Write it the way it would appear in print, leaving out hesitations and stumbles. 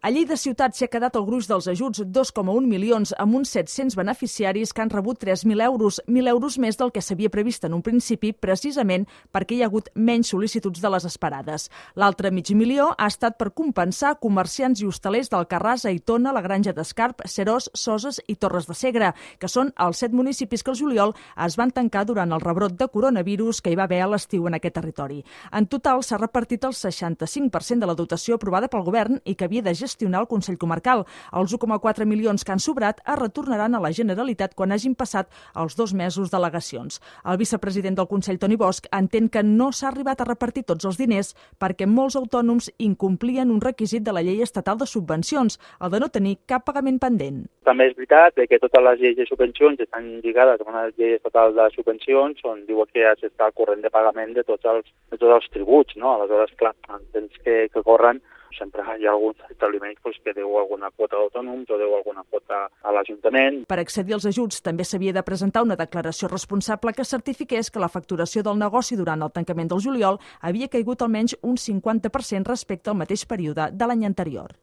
A Lleida Ciutat s'hi ha quedat el gruix dels ajuts, 2,1 milions, amb uns 700 beneficiaris que han rebut 3.000 euros, 1.000 euros més del que s'havia previst en un principi, precisament perquè hi ha hagut menys sol·licituds de les esperades. L'altre mig milió ha estat per compensar comerciants i hostalers d'Alcarràs, Aitona, la Granja d'Escarp, Seròs, Soses i Torres de Segre, que són els 7 municipis que al juliol es van tancar durant el rebrot de coronavirus que hi va haver a l'estiu en aquest territori. En total s'ha repartit el 65% de la dotació aprovada pel govern i que havia de gestionar el Consell Comarcal. Els 1,4 milions que han sobrat es retornaran a la Generalitat quan hagin passat els 2 mesos d'al·legacions. El vicepresident del Consell, Toni Bosch, entén que no s'ha arribat a repartir tots els diners perquè molts autònoms incomplien un requisit de la llei estatal de subvencions, el de no tenir cap pagament pendent. També és veritat que totes les lleis de subvencions estan lligades a una llei estatal de subvencions on diuen que ja s'està al corrent de pagament de tots els tributs, no? Aleshores, clar, en temps que corren sempre hi ha alguns establiments que deu alguna quota d'autònoms o deu alguna quota a l'Ajuntament. Per accedir als ajuts també s'havia de presentar una declaració responsable que certifiqués que la facturació del negoci durant el tancament del juliol havia caigut almenys un 50% respecte al mateix període de l'any anterior.